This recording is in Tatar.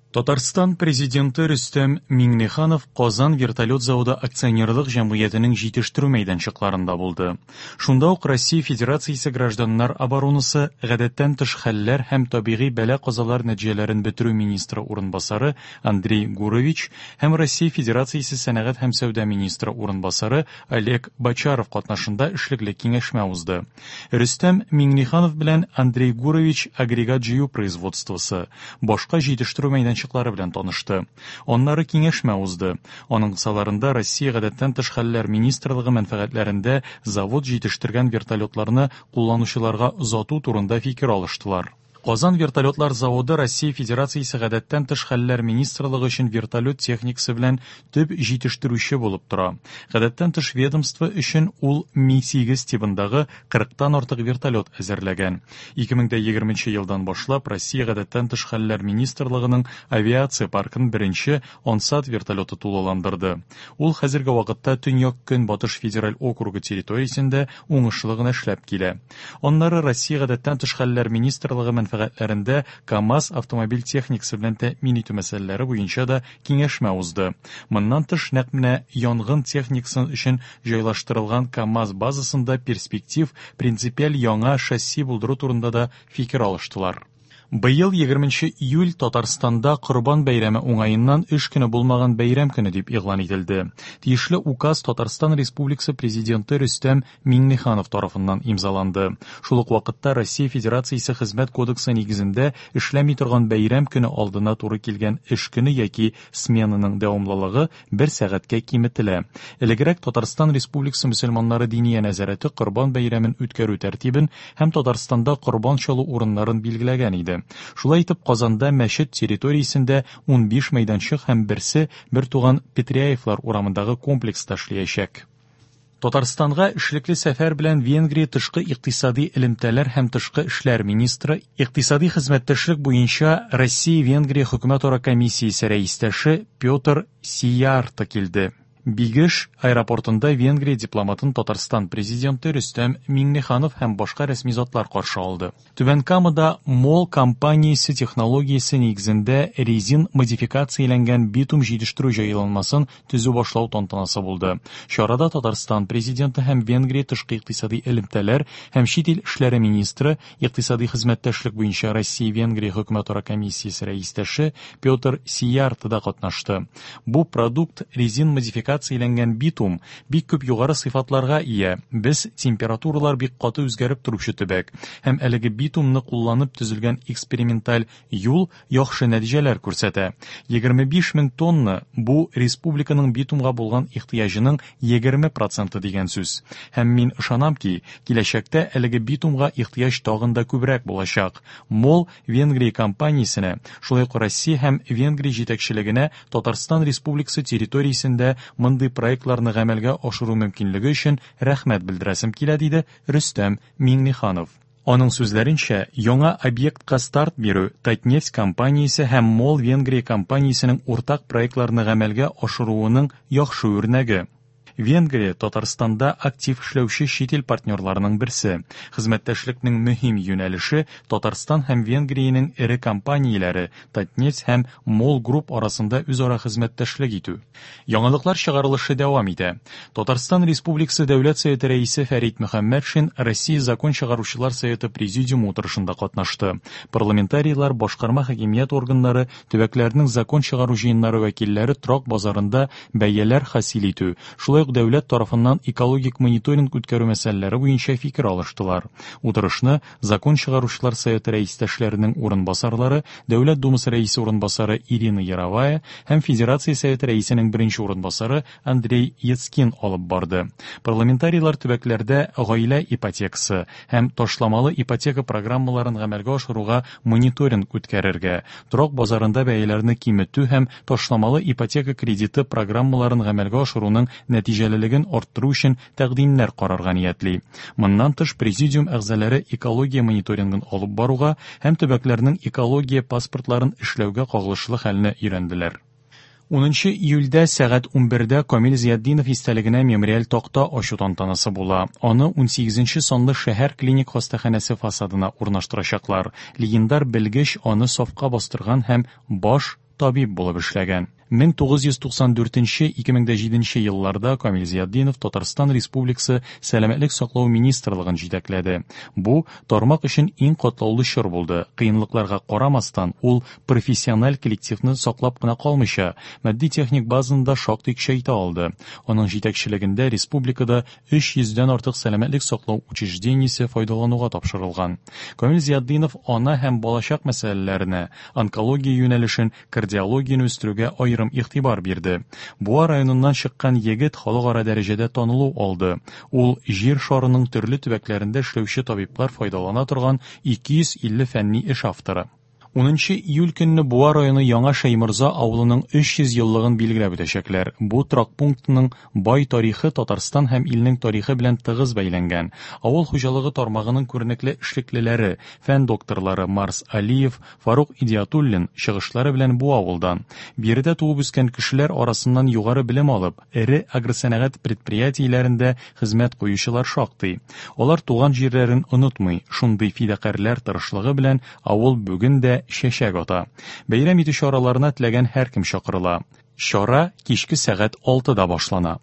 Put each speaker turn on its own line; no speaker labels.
Татарстан Президенты Рөстәм Миңнеханов Казан вертолет заводы акционерлык җәмгыятенең җитештерү мәйданчыкларында булды. Шунда ук Россия Федерациясе гражданнар оборонасы, гадәттән тыш хәлләр һәм табигый бәла-казалар нәтиҗәләрен бетерү министры урынбасары Андрей Гурович һәм Россия Федерациясе сәнәгать һәм сәүдә министры урынбасары Олег Бочаров катнашында эшлекле киңәшмә узды. Рөстәм Миңнеханов белән Андрей Гурович агрегат җыю производствосы, башка җитештерү мәйданчыклары белән танышты. Аннары киңәшмә узды. Аның кысаларында Россия гадәттән тыш хәлләр министрлыгы мәнфәгатьләрендә завод җитештергән вертолетларны кулланучыларга озату турында фикер алыштылар. Казан вертолетлар заводы Россия Федерациясе гадәттән тыш хәлләр министрлыгы өчен вертолет техникасы белән төп җитештерүче булып тора. Гадәттән тыш ведомство өчен ул Ми-8 тибындагы 40-тан артык вертолет әзерләгән. 2020 елдан башлап Россия гадәттән тыш хәлләр министрлыгының авиация паркын беренче Ансат вертолеты тулыландырды. Ул хәзерге вакытта Төньяк-Көнбатыш федераль округы территориясендә уңышлы гына эшләп килә. Аннары Россия гадәттән тыш хәлләр министрлыгы мәнфәгатьләрендә КАМАЗ автомобиль техникасы белән тәэмин итү мәсьәләләре буенча да киңәшмә узды. Моннан тыш, нәкъ менә янгын техникасы өчен җайлаштырылган КАМАЗ базасында перспектив принципиаль яңа шасси булдыру турында да фикер алыштылар. Быел 20 июль Татарстанда Корбан бәйрәме уңаеннан эш көне булмаган бәйрәм көне дип игълан ителде. Тиешле указ Татарстан Республикасы Президенты Рөстәм Миңнеханов тарафыннан имзаланды. Шул ук вакытта Россия Федерациясе Хезмәт кодексы нигезендә эшләми торган бәйрәм көне алдына туры килгән эш көне яки сменаның дәвамлылыгы бер сәгатькә киметелә. Элегрәк Татарстан Республикасы мөселманнары Диния нәзарәте Корбан бәйрәмен үткәрү тәртибен һәм Татарстанда корбан чалу урыннарын билгеләгән иде. Шулай итеп, Казанда мәчет территориясендә 15 мәйданчык һәм берсе бертуган Петряевлар урамындагы комплекста эшләячәк. Татарстанга эшлекле сәфәр белән Венгрия тышкы икътисади элемтәләр һәм тышкы эшләр министры, икътисади хезмәттәшлек буенча Россия-Венгрия хөкүмәтара комиссиясе рәистәше Петр Сиярто килде. Бигеш аэропортында Венгрия дипломатын Татарстан президенты Рөстәм Миңнеханов һәм башка рәсми затлар каршы алды. Түбән Камада МОЛ компаниясе технологиясе нигезендә резин модификацияләнгән битум җитештерү җайланмасын төзү башлау тантанасы булды. Чарада Татарстан Президенты һәм Венгрия тышкы икътисади элемтәләр һәм чит ил эшләре министры, икътисади хезмәттәшлек буенча Россия-Венгрия хөкүмәтара комиссиясе рәистәше Петр Сиярто да катнашты. Бу продукт резин модификацияләнгән битум, бик күп югары сыйфатларга ия. Без температуралар бик каты үзгәреп торучы төбәк. Һәм әлеге битумны кулланып төзелгән эксперименталь юл яхшы нәтиҗәләр күрсәтә. 25 мең тонна бу республиканың битумга булган ихтыяҗының 20 проценты дигән сүз. Һәм мин ышанам ки, киләчәктә әлеге битумга ихтыяҗ тагын да күбрәк булачак. МОЛ Венгрия компаниясенә, шулай ук Россия һәм Венгрия җитәкчелегенә Татарстан Республикасы территориясендә мондый проектларны гамәлгә ашыру мөмкинлеге өчен рәхмәт белдерәсем килә, диде Рөстәм Миңнеханов. Аның сүзләренчә, яңа объектка старт бирү Татнефть компаниясе һәм МОЛ Венгрия компаниясенең уртак проектларны гамәлгә ашыруының яхшы үрнәге. Венгрия Татарстанда актив эшләүче чит ил партнерларының берсе. Хезмәттәшлекнең мөһим юнәлеше Татарстан һәм Венгриянең эре компанияләре Татнефть һәм МОЛ Групп арасында үзара хезмәттәшлек итү. Яңалыклар чыгарылышы дәвам итә. Татарстан Республикасы Дәүләт Советы Рәисе Фәрит Мөхәммәтшин Россия Закон чыгаручылар Советы Президиумы утырышында катнашты. Парламентарийлар, башкарма хакимият органнары, төбәкләрнең закон чыгару җыеннары вәкилләре торак базарында бәяләр хасил итү, шулай ук дәүләт тарафыннан экологик мониторинг үткәрү мәсьәләләре буенча фикер алыштылар. Утырышны Закон чыгаручылар советы рәистәшләренең урынбасарлары, Дәүләт Думасы рәисе урынбасары Ирина Яровая һәм Федерация Советы рәисенең беренче урынбасары Андрей Яцкин алып барды. Парламентарийлар төбәкләрдә гаилә ипотекасы һәм ташламалы ипотека программаларын гамәлгә ашыруга мониторинг үткәрергә, торак базарында бәяләрне киметү һәм ташламалы ипотека кредиты программаларын гамәлгә ашыруның нәтиҗәлелеген арттыру өчен тәкъдимнәр карарга ниятли. Моннан тыш, президиум әгъзалары экология мониторингын алып баруга һәм төбәкләрнең экология паспортларын эшләүгә кагылышлы хәлне өйрәнделәр. Унынчы июльдә сәгать 11-дә Камил Зиятдинов истәлегенә мемориаль такта ачу тантанасы була. Аны 18 санлы шәһәр клиник хастаханәсе фасадына урнаштырачаклар. Легендар белгеч аны сафка бастырган һәм баш. табиб булып эшләгән. 1994-2007 елларда Камил Зиятдинов Татарстан Республикасы Сәламәтлек саклау министрлыгын җитәкләде. Бу тармак өчен иң катлаулы чор булды. Кыенлыкларга карамастан, ул профессиональ коллективны саклап кына калмыйча, матди-техник базаны да шактый көчәйтә алды. Аның җитәкчелегендә республикада 300 дән артык сәламәтлек саклау учреждениесе файдалануга тапшырылган. Камил Зиятдинов ана һәм балачак мәсьәләләренә, онкология юнәлешен, кардиологияне үстерүгә аерым игътибар бирде. Буа районыннан чыккан егет халыкара дәрәҗәдә танылу алды. Ул җир шарының төрле төбәкләрендә эшләүче табиблар файдалана торган 250 фәнни эш авторы. 10 июль көнне Буа районы Яңа Шәйморза авылының 300 еллыгын билгеләп үтәчәкләр. Бу торак пунктның бай тарихы Татарстан һәм илнең тарихы белән тыгыз бәйләнгән. Авыл хуҗалыгы тармагының күренекле эшлеклеләре, фән докторлары Марс Алиев, Фарук Идиатуллин чыгышлары белән бу авылдан. Биредә туып үскән кешеләр арасыннан югары белем алып, эре агросәнәгать предприятиеләрендә хезмәт куючылар шактый. Алар туган җирләрен онытмый, шундый фидакарьләр тырышлыгы белән авыл бүген дә чәчәк ата. Бәйрәм итү чараларына теләгән һәркем чакырыла. Чара кичке сәгать 6-да башлана.